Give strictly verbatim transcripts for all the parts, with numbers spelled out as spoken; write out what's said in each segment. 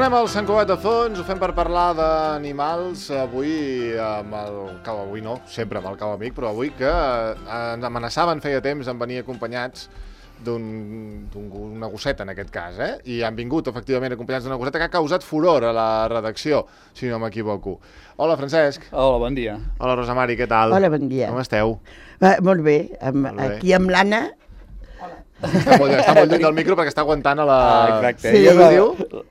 Tornem al Sant Cugat de Fons, ho fem per parlar d'animals, avui amb el cau, avui no, sempre amb el cau amic, però avui que ens amenaçaven feia temps en venir acompanyats d'una gosseta en aquest cas, eh? I han vingut efectivament acompanyats d'una gosseta que ha causat furor a la redacció, si no m'equivoco. Hola, Francesc. Hola, bon dia. Hola, Rosa Mari, què tal? Hola, bon dia. Com esteu? Uh, molt bé, amb, molt bé. Aquí amb l'Anna. Està molt, està molt lluny del micro perquè està aguantant a la... Ah, exacte. Sí, Què diu?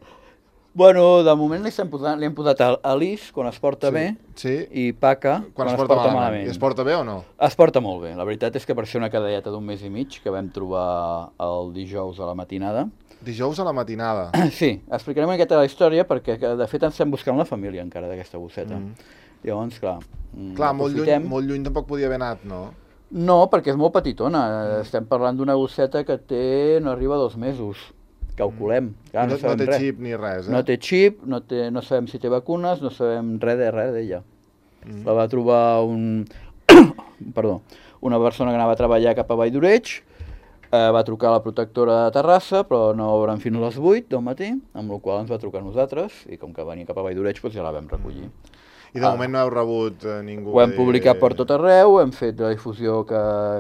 Bueno, de moment li hem posat, li hem posat Alice quan es porta Sí, bé sí. i Paca Quan, quan es es porta, porta malament. malament. I es porta bé o no? Es porta molt bé. La veritat és que per ser una cadelleta d'un mes i mig que vam trobar el dijous a la matinada. Dijous a la matinada. Sí, explicarem una miqueta la història perquè de fet ens estem buscant la família encara d'aquesta gosseta. Mm. Llavors, clar... Clar, molt lluny, aprofitem. molt lluny tampoc podia haver anat, no? No, perquè és molt petitona. Estem parlant d'una gosseta que té, no arriba a dos mesos. Calculem. Clar, I no, no sabem té res. xip ni res, eh? No té xip, no, té, no sabem si té vacunes, no sabem res de res d'ella. Mm. La va trobar un... Perdó, una persona que anava a treballar cap a Vall d'Oreig, eh, va trucar a la protectora de Terrassa, però no obren fins a les vuit del matí, amb la qual ens va trucar a nosaltres, i com que venia cap a Vall d'Oreig, doncs ja la vam recollir. I de Ah. moment no heu rebut eh, ningú... Ho hem de- publicat per tot arreu, hem fet la difusió que,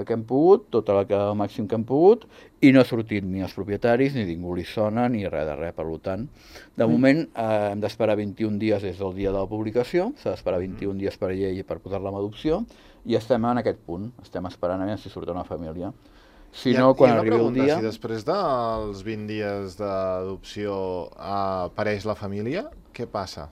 que hem pogut, tota la que, el màxim que hem pogut, i no ha sortit ni els propietaris, ni ningú li sona, ni res de res. Per tant, de moment eh, hem d'esperar vint-i-un dies des del dia de la publicació, s'ha d'esperar vint-i-un dies per llei per posar-la en adopció, i estem en aquest punt, estem esperant a veure si surt una família. Si I, no, quan i una arribi el pregunta, dia... si després dels vint dies d'adopció eh, apareix la família, què passa?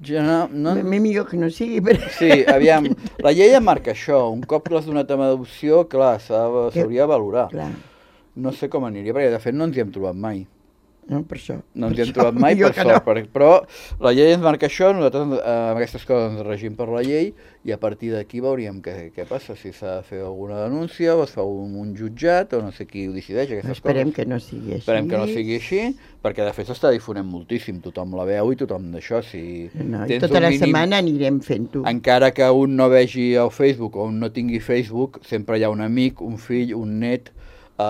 Ja no, no... No? Millor que no sigui, però... Sí, aviam, la llei em marca això, un cop que l'has donat amb adopció, clar, s'ha- s'hauria de valorar. Clar, No sé com aniria, perquè de fet no ens hi hem trobat mai. no, per això. No ens per hi hem això, trobat mai, millor per que sort, no. per, però la llei ens marca això, nosaltres eh, amb aquestes coses ens regim per la llei i a partir d'aquí veuríem què, què passa, si s'ha de fer alguna denúncia o es fa un, un jutjat o no sé qui ho decideix, aquestes Esperem coses. que no sigui així. Esperem que no sigui així, perquè de fet s'està difonent moltíssim, tothom la veu i tothom d'això, si No, i tens tota un la mínim- setmana anirem fent-ho. encara que un no vegi el Facebook o un no tingui Facebook, sempre hi ha un amic, un fill, un net, eh,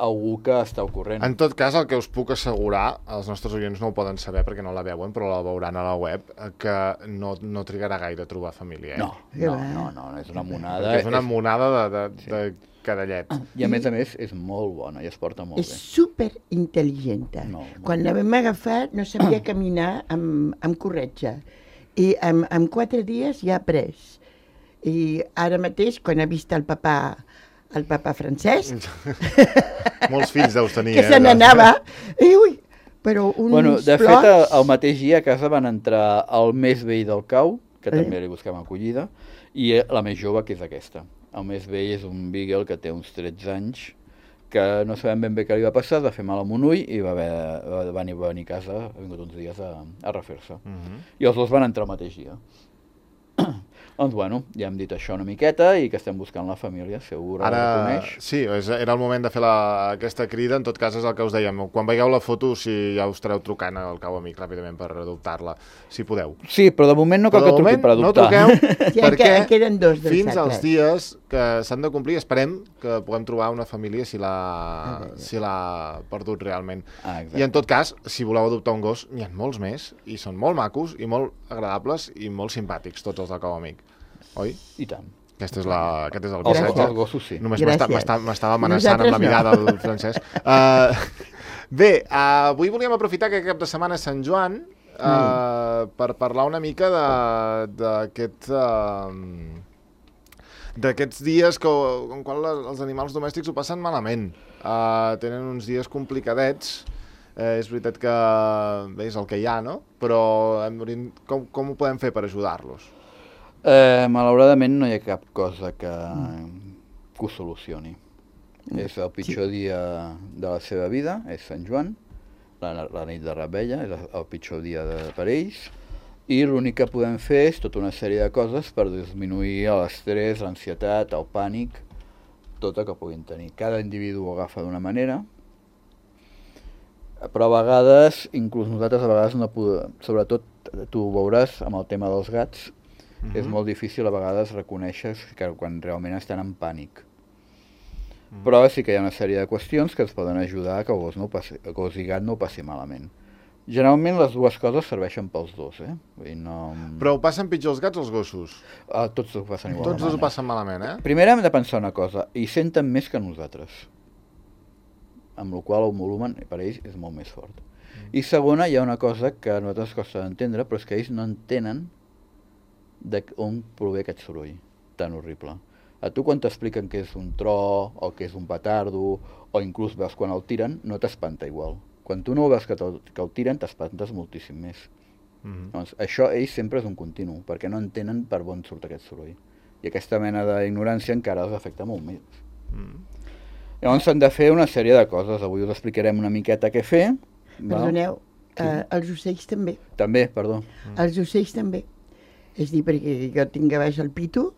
algú que està al corrent. En tot cas, el que us puc assegurar, els nostres oients no ho poden saber perquè no la veuen, però la veuran a la web, eh, que no, no trigarà gaire a trobar família. Eh? No, no, no, no, no, és una monada. Perquè és una és- monada de, de, de cadallet. I a més a més és molt bona i es porta molt És bé. superintel·ligenta. No, no. Quan la vam agafar no sabia caminar amb, amb corretja. I en, en quatre dies ja ha après. I ara mateix, quan ha vist el papà, el papà Francesc, Molts fills deus tenir, que eh? se n'anava, i ui, però uns Bueno, de fet, plots... el, el mateix dia a casa van entrar el més vell del cau, que Eh? també li busquem acollida, i la més jove, que és aquesta. El més vell és un beagle que té uns tretze anys, que no sabem ben bé què li va passar, va fer mal amb un ull i va, haver, va venir, va venir a casa, ha vingut uns dies a, a refer-se. Mhm. I els dos van entrar el mateix dia. Doncs bueno, ja hem dit això una miqueta i que estem buscant la família, segur la Ara, reconeix. sí, és, era el moment de fer la, aquesta crida, en tot cas és el que us dèiem. Quan veieu la foto, si ja us estareu trucant al cau amic ràpidament per adoptar-la, si podeu. Sí, però de moment no cal Però que de truqui moment per no adoptar. truqueu, Sí, perquè en queden dos dels fins als altres. dies que s'han de complir, esperem que puguem trobar una família si l'ha si l'ha perdut realment. Ah, exacte. I en tot cas, si voleu adoptar un gos, n'hi ha molts més, i són molt macos, i molt agradables, i molt simpàtics, tots els del cau amic. Oi? I tant. Aquest és, la, aquest és el Els, missatge. els gossos sí. Només Gràcies. m'està- m'està- m'estava amenaçant amb la Nosaltres no. mirada del Francesc. Uh, bé, uh, avui volíem aprofitar que cap de setmana és Sant Joan uh, mm. per parlar una mica de- d'aquest... Uh, d'aquests dies que, en qual els animals domèstics ho passen malament. Uh, tenen uns dies complicadets. Eh, és veritat que bé, és el que hi ha, no? Però hem, com, com ho podem fer per ajudar-los? Eh, malauradament no hi ha cap cosa que, que ho solucioni. És el pitjor dia de la seva vida, és Sant Joan, la, la nit de Rebella, és el pitjor dia de, per ells, i l'únic que podem fer és tota una sèrie de coses per disminuir l'estrès, l'ansietat, el pànic, tot el que puguin tenir. Cada individu ho agafa d'una manera, però a vegades, inclús nosaltres a vegades no podem, sobretot tu ho veuràs amb el tema dels gats, Mhm. és molt difícil a vegades reconèixer que quan realment estan en pànic. Però sí que hi ha una sèrie de qüestions que ens poden ajudar a que el gos, no ho passi, el gos i gat no ho passi malament. Generalment les dues coses serveixen pels dos, eh? Vull dir, no... Però ho passen pitjor els gats o els gossos? Ah, tots ho passen igual. Tots dos ho passen malament, eh? Primer hem de pensar una cosa, i senten més que nosaltres, amb la qual el volumen per ells és molt més fort. Mm. I segona, hi ha una cosa que a nosaltres costa d'entendre, però és que ells no entenen d'on prové aquest soroll tan horrible. A tu quan t'expliquen que és un tro, o que és un petardo, o inclús veus quan el tiren, no t'espanta igual. Quan tu no veus que, que el tiren, t'espantes moltíssim més. Mm-hmm. Doncs això ells sempre és un continu, perquè no entenen per on surt aquest soroll. I aquesta mena d'ignorància encara els afecta molt més. Mm. Llavors s'han de fer una sèrie de coses. Avui us explicarem una miqueta què fer. Perdoneu, sí. uh, els ocells també. També, perdó. Mm. Els ocells també. És dir, perquè jo tinc a baix el pitu,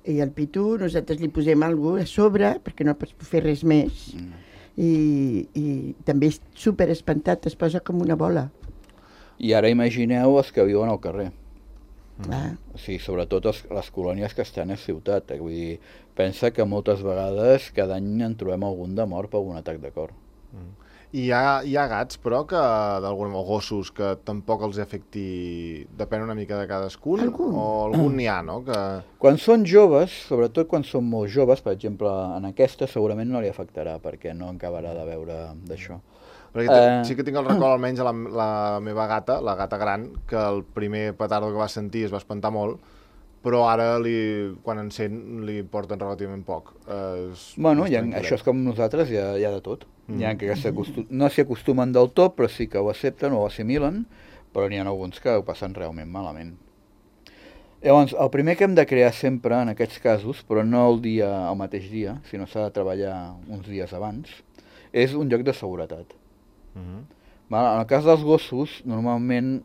i al pitu nosaltres li posem alguna cosa a sobre, perquè no pots fer res més. Mm. I, i també és super espantat, es posa com una bola. I ara imagineu els que viuen al carrer. Mm. O sigui, sobretot els, les colònies que estan a ciutat. Eh? Vull dir, pensa que moltes vegades cada any en trobem algun de mort per algun atac de cor. Mm. I hi ha, hi ha gats, però, que d'algun o gossos que tampoc els afecti, depèn una mica de cadascun, algun. O algun n'hi ha, no? Que... Quan són joves, sobretot quan són molt joves, per exemple, en aquesta segurament no li afectarà, perquè no acabarà de veure d'això. Perquè uh... sí que tinc el record, almenys, la, la meva gata, la gata gran, que el primer petardo que va sentir es va espantar molt, però ara, li, quan en sent, li porten relativament poc. Eh, és, bueno, ja, això és com nosaltres, hi ha, hi ha de tot. Mm. Hi ha que no s'hi acostumen del tot, però sí que ho accepten o ho assimilen, però n'hi ha alguns que ho passen realment malament. Llavors, el primer que hem de crear sempre, en aquests casos, però no el dia, el mateix dia, sinó s'ha de treballar uns dies abans, és un lloc de seguretat. Mm-hmm. En el cas dels gossos, normalment,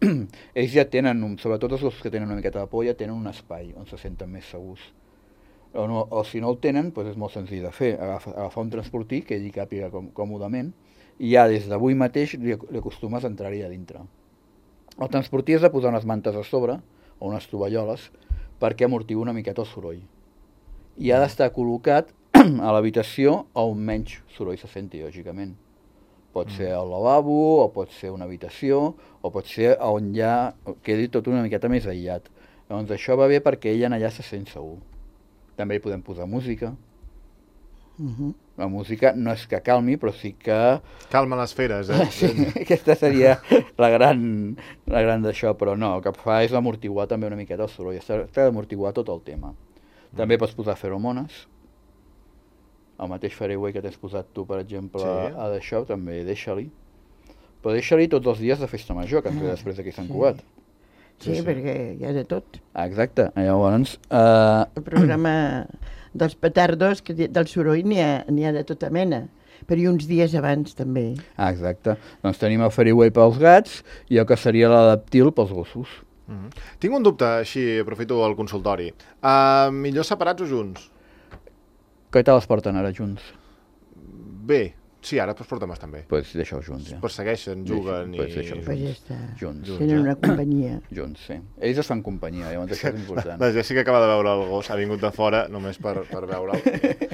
ells ja tenen, sobretot els gossos que tenen una miqueta de por, ja tenen un espai on se senten més segurs. O, no, o si no el tenen, doncs és molt senzill de fer, agafar, agafar un transportí que ell hi càpiga com, còmodament, i ja des d'avui mateix li, li acostumes a entrar-hi a dintre. El transportí és de posar unes mantes a sobre, o unes tovalloles, perquè amortigui una miqueta el soroll. I ha d'estar col·locat a l'habitació on menys soroll se senti, lògicament. Pot ser al lavabo, o pot ser una habitació, o pot ser on ja quedi tot una miqueta més aïllat. Llavors això va bé perquè ell en allà se sent segur. També hi podem posar música. Uh-huh. La música no és que calmi, però sí que... Calma les feres, eh? Sí, aquesta seria la gran, la gran d'això, però no, el que fa és amortiguar també una miqueta el soroll, està, està d'amortiguar tot el tema. Mm. També pots posar feromones, el mateix fareway que t'has posat tu, per exemple, sí. A d'això, també deixa-li. Però deixa-li tots els dies de festa major, que ens ve després d'aquí Sant Cugat. Sí, sí, sí, perquè hi ha de tot. Exacte, llavors... Uh... El programa dels petardos, que del soroll n'hi ha, n'hi ha de tota mena, però i uns dies abans també. Ah, exacte. Doncs tenim el Fairy pels gats i el que seria l'adaptil pels gossos. Mm-hmm. Tinc un dubte, així aprofito el consultori. Uh, millor separats o junts? Què tal es porten ara junts? Bé. Sí, ara es porten bastant bé. Doncs pues deixa-ho junts, ja. Es persegueixen, juguen pues i... Pues ja està. Junts. junts. Tenen una companyia. Junts, sí. Ells es fan companyia, llavors això és important. La Jessica acaba de veure el gos, ha vingut de fora només per, per veure'l.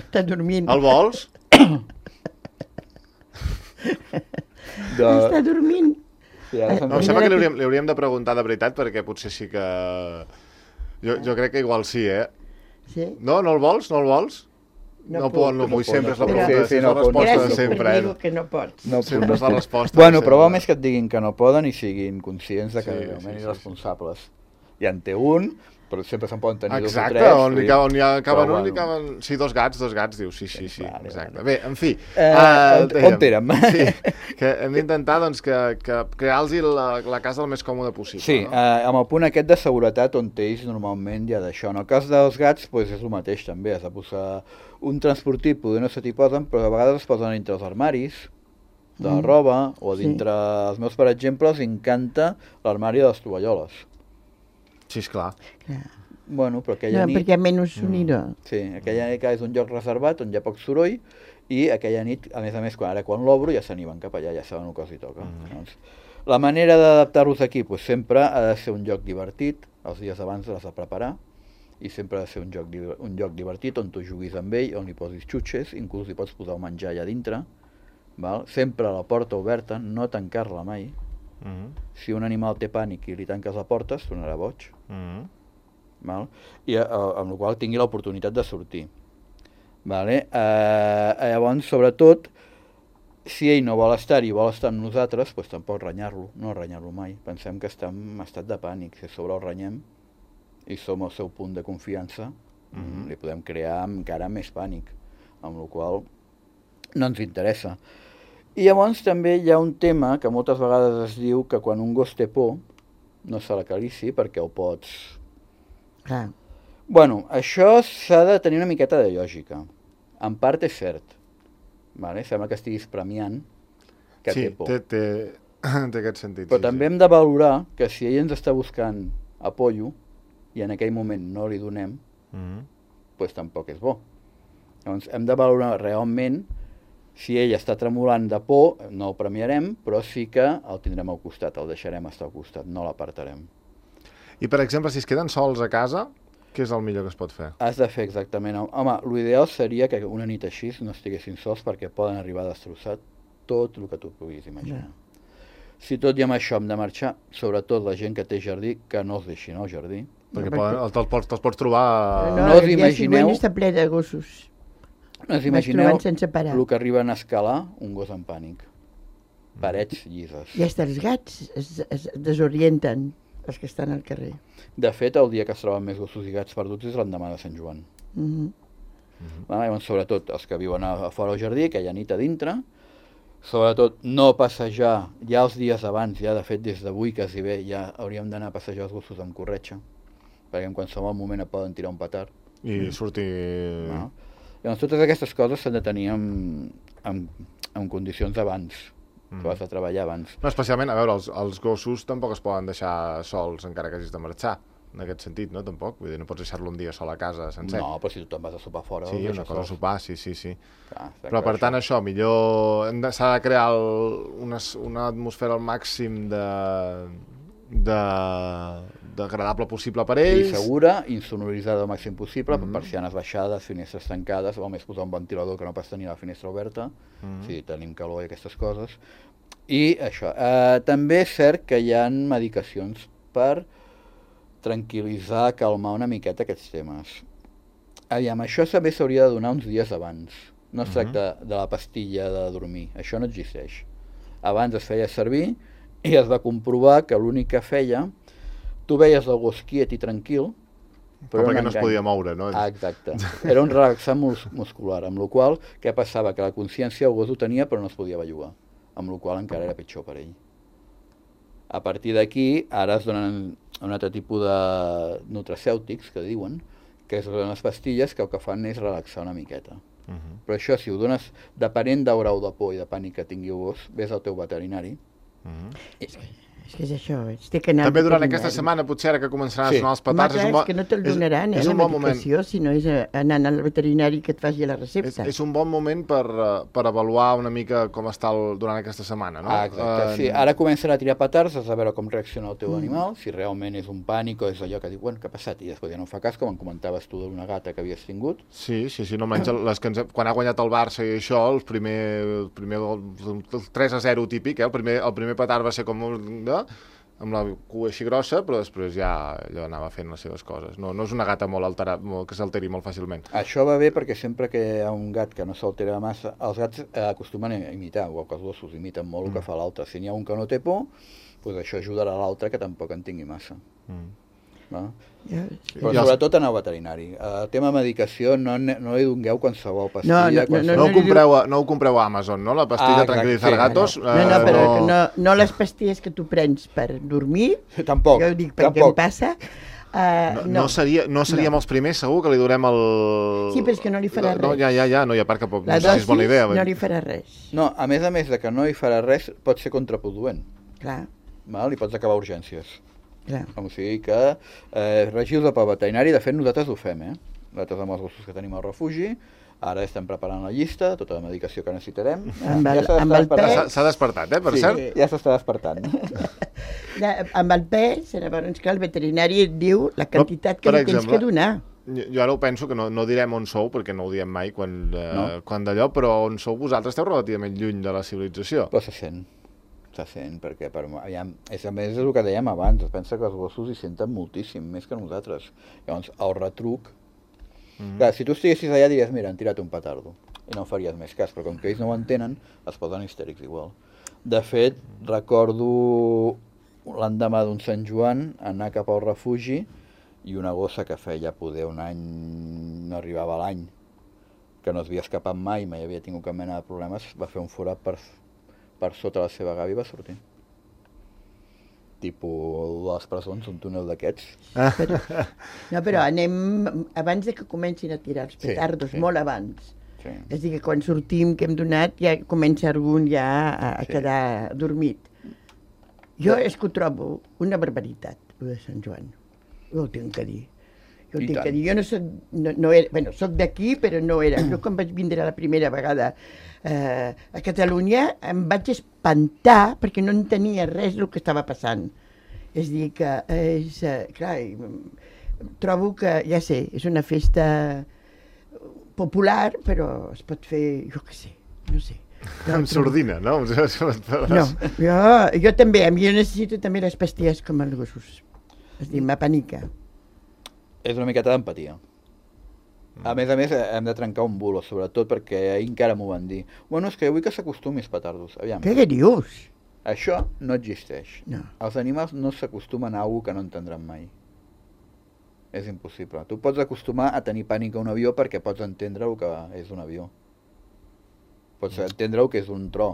Està dormint. El vols? de... Està dormint. Sí, ara no, em sembla que li hauríem, li hauríem de preguntar de veritat, perquè potser sí que... Jo, jo crec que igual sí, eh? Sí? No, no el vols? No el vols? No, no pot, no vull, sempre és la pregunta, és la resposta de sempre. Gràcies per dir que no pots. No, sempre és la resposta. Bueno, però va més que et diguin que no poden i siguin conscients de que sí, realment sí, sí, responsables. Sí. Ja en té un, però sempre se'n poden tenir exacte, dos o tres. On li caben, on hi acaben un, li caben... Sí, dos gats, dos gats, dius, sí, sí, sí, vale, exacte. Vale. Bé, en fi... Eh, uh, on, on érem? Sí, que hem d'intentar doncs, que, que crear-los la, la casa el més còmode possible. Sí, no? uh, amb el punt aquest de seguretat on ells normalment hi ha d'això. En el cas dels gats pues, és el mateix també, has de posar un transportí, poder no se t'hi posen, però a vegades es posen entre els armaris de la mm. roba, o dintre sí. Els meus, per exemple, els encanta l'armari de les tovalloles. Sí, esclar. Clar. Bueno, però aquella no, nit... perquè menys sonirà. Mm. Sí, aquella nit és un lloc reservat on hi ha poc soroll i aquella nit, a més a més, quan, ara quan l'obro ja s'aniven cap allà, ja saben el que els hi toca. Mm. Doncs, la manera d'adaptar-los aquí pues, sempre ha de ser un lloc divertit, els dies abans l'has de preparar, i sempre ha de ser un lloc, un lloc divertit on tu juguis amb ell, on li posis xutxes, inclús hi pots posar el menjar allà dintre, val? Sempre la porta oberta, no tancar-la mai, Mhm. Si un animal té pànic i li tanques la porta, es tornarà boig. Mhm. Val? I eh, amb la qual tingui l'oportunitat de sortir. Vale? Eh, llavors, sobretot, si ell no vol estar i vol estar amb nosaltres, doncs tampoc renyar-lo, no renyar-lo mai. Pensem que estem en estat de pànic. Si a sobre el renyem i som al seu punt de confiança, mm-hmm. li podem crear encara més pànic, amb la qual no ens interessa. I llavors també hi ha un tema que moltes vegades es diu que quan un gos té por no se l'acarici perquè ho pots... Clar. Bueno, això s'ha de tenir una miqueta de lògica. En part és cert. Vale? Sembla que estiguis premiant que sí, té por. Sí, té, té, té aquest sentit. Però sí, també sí. hem de valorar que si ell ens està buscant apoyo i en aquell moment no li donem, Mm-hmm. doncs tampoc és bo. Llavors hem de valorar realment si ell està tremolant de por, no el premiarem, però sí que el tindrem al costat, el deixarem estar al costat, no l'apartarem. I, per exemple, si es queden sols a casa, què és el millor que es pot fer? Has de fer exactament... Home, l'ideal seria que una nit així no estiguessin sols perquè poden arribar a destrossar tot el que tu puguis imaginar. Yeah. Si tot i amb això hem de marxar, sobretot la gent que té jardí, que no els deixin al jardí. Perquè poden, te'ls pots, te pots trobar... No, no us imagineu... El dia està ple de gossos. No us imagineu sense parar. el que arriben a escalar un gos en pànic. Parets llises. I fins els gats es, es desorienten, els que estan al carrer. De fet, el dia que es troben més gossos i gats perduts és l'endemà de Sant Joan. Mm-hmm. Mm-hmm. Ah, llavors, sobretot els que viuen a, a fora al jardí, que hi ha nit a dintre, sobretot no passejar ja els dies abans, ja de fet des d'avui quasi bé, ja hauríem d'anar a passejar els gossos amb corretja, perquè en qualsevol moment et poden tirar un petard. I mm. sortir... No? Llavors, totes aquestes coses s'han de tenir en, en, en condicions abans, mm. que vas a treballar abans. No, especialment, a veure, els, els gossos tampoc es poden deixar sols encara que hagis de marxar, en aquest sentit, no? Tampoc, vull dir, no pots deixar-lo un dia sol a casa sencer. No, però si tu te'n vas a sopar fora... Sí, una cosa a sopar, sí, sí, sí. Clar, però per tant, això, millor... S'ha de crear el, una, una atmosfera al màxim de... de d'agradable possible per ells. I segura, insonoritzada al màxim possible, mm-hmm. persianes baixades, finestres tancades, o més posar un ventilador que no pas tenir la finestra oberta, mm-hmm. si tenim calor i aquestes coses. I això, eh, també és cert que hi ha medicacions per tranquil·litzar, calmar una miqueta aquests temes. Aviam, això també s'hauria de donar uns dies abans. No es tracta mm-hmm. de la pastilla de dormir, això no existeix. Abans es feia servir i es va comprovar que l'únic que feia, tu veies el gos quiet i tranquil, però, però perquè no es podia moure, no? Ah, exacte. Era un relaxant mus muscular, amb la qual què passava? Que la consciència el gos ho tenia però no es podia bellugar, amb la qual encara era pitjor per ell. A partir d'aquí, ara es donen un altre tipus de nutracèutics, que diuen, que es donen les pastilles que el que fan és relaxar una miqueta. Uh -huh. Però això, si ho dones depenent del grau de por i de pànic que tingui el gos, ves al teu veterinari. Uh -huh. I... És que és això, és que anar també durant aquesta setmana, potser ara que començaran sí. a sonar els petards... Home, és, un bo... és que no te'l donaran, és, eh, és la bon medicació, moment. si no és anant al veterinari que et faci la recepta. És, és un bon moment per, per avaluar una mica com està el, durant aquesta setmana, no? Ah, exacte, uh, sí. Ara començarà a tirar petards, has de veure com reacciona el teu mm. animal, si realment és un pànic o és allò que diu, bueno, què ha passat? I després ja no fa cas, com em comentaves tu d'una gata que havies tingut. Sí, sí, sí, no almenys les que ens, quan ha guanyat el Barça i això, el primer, el primer el, el tres a zero típic, eh? el, primer, el primer petard va ser com... No? amb la cua així grossa, però després ja allò anava fent les seves coses. No, no és una gata molt alterada, que s'alteri molt fàcilment. Això va bé perquè sempre que hi ha un gat que no s'altera massa, els gats acostumen a imitar, o que els gossos imiten molt el que fa l'altre. Si n'hi ha un que no té por, doncs això ajudarà a l'altre que tampoc en tingui massa. Mm. No? Ja, sí. Però sobretot anar al veterinari. El tema medicació no, no li dongueu qualsevol pastilla. No, no, no, no, no, no, ho compreu a, no ho compreu a Amazon, no? La pastilla ah, tranquil·litzar gatos. No, no, no, però uh, no, no les pastilles que tu prens per dormir. Tampoc. Jo ho dic perquè em passa. Uh, no, no. No, seria, no seríem no. els primers, segur, que li durem el... Sí, però és que no li farà res. No, ja, ja, ja, no hi ha part que pot... La no sé si és bona idea. No li farà res. No, a més a més de que no hi farà res, pot ser contraproduent. Clar. Val? I pots acabar a urgències. Clar. O sigui que eh, regiu-vos pel veterinari, de fet nosaltres ho fem, eh? Nosaltres amb els gossos que tenim al refugi, ara estem preparant la llista, tota la medicació que necessitarem. Amb el, ja amb el pes... S'ha despertat, eh, per sí, cert? Ja s'està despertant. Amb el pes, llavors que el veterinari et diu la quantitat que li tens que donar. Jo ara ho penso, que no, no direm on sou, perquè no ho diem mai quan, eh, no. quan d'allò, però on sou vosaltres esteu relativament lluny de la civilització. Però se sent. se sent, perquè per, aviam, és, a més és el que dèiem abans, es pensa que els gossos hi senten moltíssim, més que nosaltres. Llavors, el retruc... Mm-hmm. Clar, si tu estiguessis allà diries, mira, han tirat un petardo, i no faries més cas, però com que ells no ho entenen, es posen histèrics igual. De fet, recordo l'endemà d'un Sant Joan anar cap al refugi i una gossa que feia poder un any, no arribava a l'any, que no es havia escapat mai, mai havia tingut cap mena de problemes, va fer un forat per, per sota la seva gàbia i va sortir. Tipo les presons, un túnel d'aquests. Ah. Però, no, però anem abans de que comencin a tirar els petardos, sí, sí. Molt abans. Sí. És a dir, que quan sortim, que hem donat, ja comença algun ja a, a sí. quedar dormit. Jo és que ho trobo una barbaritat, el de Sant Joan. Jo ho tinc que dir. Jo ho tinc que dir. Jo no soc, no, no era, bueno, soc d'aquí, però no era. Jo quan vaig vindre la primera vegada eh, a Catalunya em vaig espantar perquè no entenia res del que estava passant. És a dir, que és, eh, clar, trobo que, ja sé, és una festa popular, però es pot fer, jo què sé, no sé. Amb sordina, no? No, jo, jo també, a mi jo necessito també les pastilles com els gossos. És a dir, m'apanica. És una miqueta d'empatia. A més a més, hem de trencar un bulo, sobretot perquè ahir encara m'ho van dir. Bueno, és que vull que s'acostumi els petardos. Aviam. Què dius? Això no existeix. No. Els animals no s'acostumen a alguna que no entendran mai. És impossible. Tu pots acostumar a tenir pànic a un avió perquè pots entendre el que és un avió. Pots entendre el que és un tro,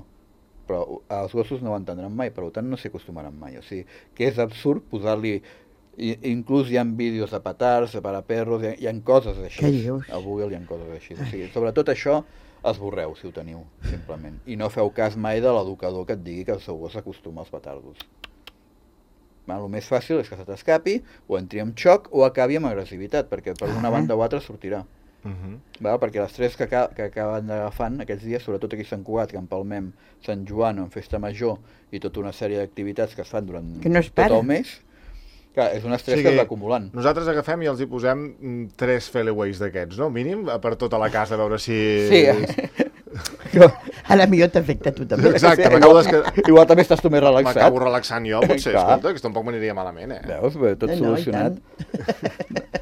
però els gossos no ho entendran mai, per tant no s'hi acostumaran mai. O sigui, que és absurd posar-li... Inclús hi ha vídeos de petards, de paraperros, hi ha, hi ha coses així. Què dius? A Google hi ha coses així. O sigui, sobretot això, esborreu, si ho teniu, simplement. I no feu cas mai de l'educador que et digui que el seu gos s'acostuma als petardos. El més fàcil és que se t'escapi, o entri en xoc, o acabi amb agressivitat, perquè per una banda o altra sortirà. Uh-huh. Val? Perquè les tres que, aca que acaben agafant aquests dies, sobretot aquí a Sant Cugat, que empalmem Sant Joan en Festa Major i tota una sèrie d'activitats que es fan durant no es tot el mes, clar, és un estrès sí, que es va acumulant. Nosaltres agafem i els hi posem tres failaways d'aquests, no? Mínim, per tota la casa, a veure si... Sí, jo, a la millor t'afecta tu també. Exacte, sí, m'acabo igual, que... igual també estàs tu més relaxat. M'acabo relaxant jo, potser, escolta, que tampoc m'aniria malament, eh? Veus, bé, tot no, solucionat.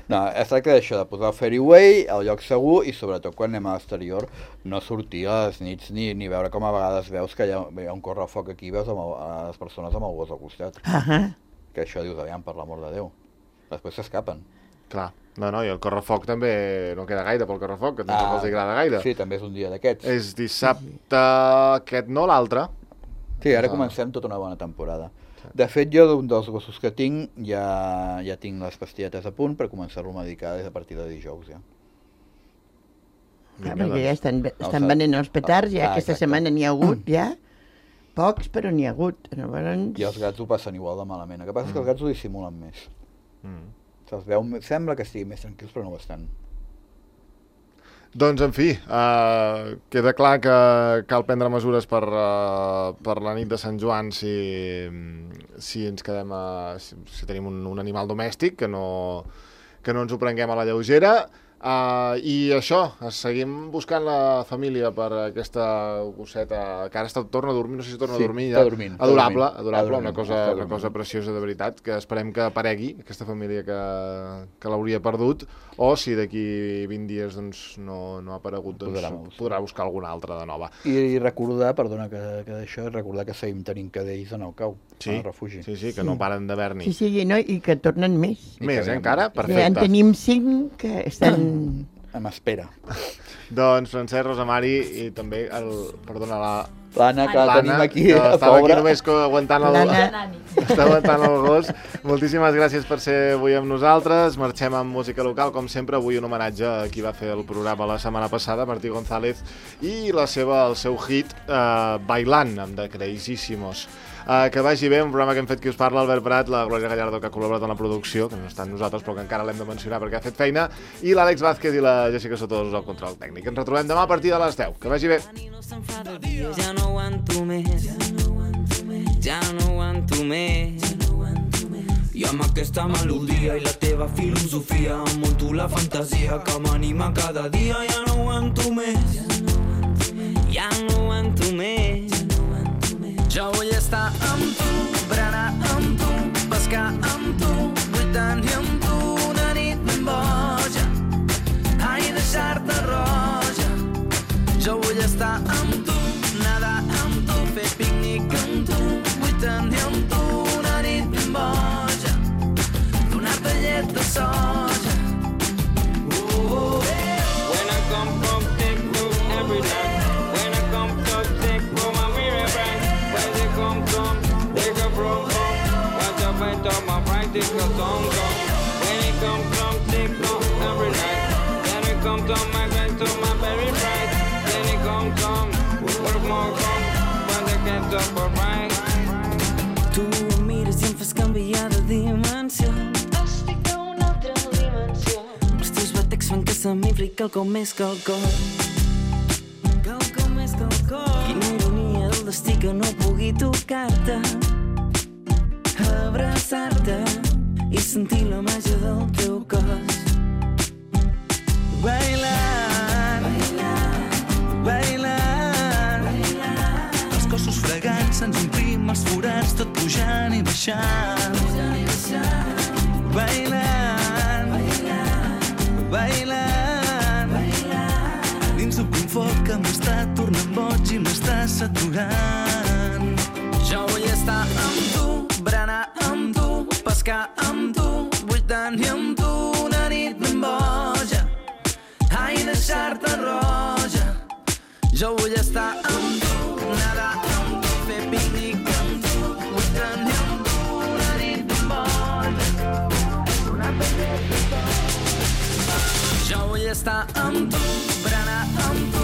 No, es tracta d'això, de posar el fairway al lloc segur i sobretot quan anem a l'exterior no sortir a les nits ni, ni veure com a vegades veus que hi ha, hi ha un correfoc aquí i veus amb el, a les persones amb el gos al costat. Uh -huh. Que això dius, aviam, per l'amor de Déu. Després s'escapen. Clar. No, no, i el correfoc també no queda gaire pel correfoc, que tampoc ah, els agrada gaire. Sí, també és un dia d'aquests. És dissabte aquest, no l'altre. Sí, ara ah. comencem tota una bona temporada. Sí. De fet, jo d'un dels gossos que tinc, ja, ja tinc les pastilletes a punt per començar-lo a medicar des a partir de dijous, ja. Ah, perquè ja estan, estan venent els petards, ja ah, aquesta exacte. setmana n'hi ha hagut, ja. Pocs, però n'hi ha hagut. Llavors... I els gats ho passen igual de malament. El que passa mm. és que els gats ho dissimulen més. Mm. Se'ls veu, sembla que estiguin més tranquils, però no ho estan. Doncs, en fi, uh, queda clar que cal prendre mesures per, uh, per la nit de Sant Joan si, si ens quedem a, si, si tenim un, un animal domèstic, que no, que no ens ho prenguem a la lleugera. Uh, I això, seguim buscant la família per aquesta gosseta que ara està, torna a dormir, no sé si torna sí, a dormir ja. Dormint, adorable, dormint, adorable, dormint, una cosa, una cosa preciosa de veritat, que esperem que aparegui aquesta família que, que l'hauria perdut, o si d'aquí vint dies doncs, no, no ha aparegut, doncs podrà, podrà buscar alguna altra de nova. I, i recordar, perdona que, que d'això, recordar que seguim tenint cadells en el cau, sí, en el refugi. Sí, sí, que sí. no paren d'haver-n'hi. Sí, sí, no, i que tornen més. Més, eh, encara? Perfecte. Ja en tenim cinc que estan... Amb espera. Doncs Francesc, Rosa Mari i també el, perdona, la... L'Anna, que la tenim aquí, que a estava pobre. aquí només aguantant el, està aguantant el gos. Moltíssimes gràcies per ser avui amb nosaltres. Marxem amb música local, com sempre, avui un homenatge a qui va fer el programa la setmana passada, Martí González, i la seva, el seu hit, eh, Bailant, amb de Crazyísimos. Uh, que vagi bé, un programa que hem fet qui us parla, Albert Prat, la Glòria Gallardo, que ha col·laborat en la producció, que no està amb nosaltres, però que encara l'hem de mencionar perquè ha fet feina, i l'Àlex Vázquez i la Jessica Sotodos al control tècnic. Ens retrobem demà a partir de les deu. Que vagi bé. Ja no aguanto més, ja no aguanto més. I amb aquesta melodia i la teva filosofia em munto la fantasia que m'anima cada dia. Ja no aguanto més, ja no aguanto més. Jo vull estar amb tu, berenar amb tu, pescar amb tu, vull tenir amb tu una nit ben boja, ai, deixar-te roja. Jo vull estar amb tu, nedar amb tu, fer pícnic amb tu, vull tenir amb tu una nit ben boja, donar-te llet de soja. Oh, oh, eh. When I come from TikTok every night, when I come from TikTok my mirror bright, when they come from, they go from home, watch out fight on my practice a song song. When it come from TikTok every night, then it come to my friends to my very bright, then it come from, work more come, when they get up alright. Tu em mires i em fas canviar de dimensió, estic a una altra dimensió. Els teus batecs fan que se m'infli quelcom més que el cor, quelcom més que el cor. Quina ironia del destí que no pugui tocar-te, abraçar-te i sentir la màgia del teu cos. Bailant, bailant, bailant, bailant. Els cossos fregants se'ns omplim els forats, tot pujant i baixant. Bailant, bailant, bailant, bailant. Dins d'un foc que m'està tornant boig i m'està saturant. Jo vull estar amb tu, berenar amb tu, pescar amb tu, vull tenir amb tu una nit ben boja, ai, deixar-te roja. Jo vull estar amb tu, nedar amb tu, fer pícnic amb tu, vull tenir amb tu una nit ben boja, donar-te llet de soja. Jo vull estar amb tu, berenar amb tu,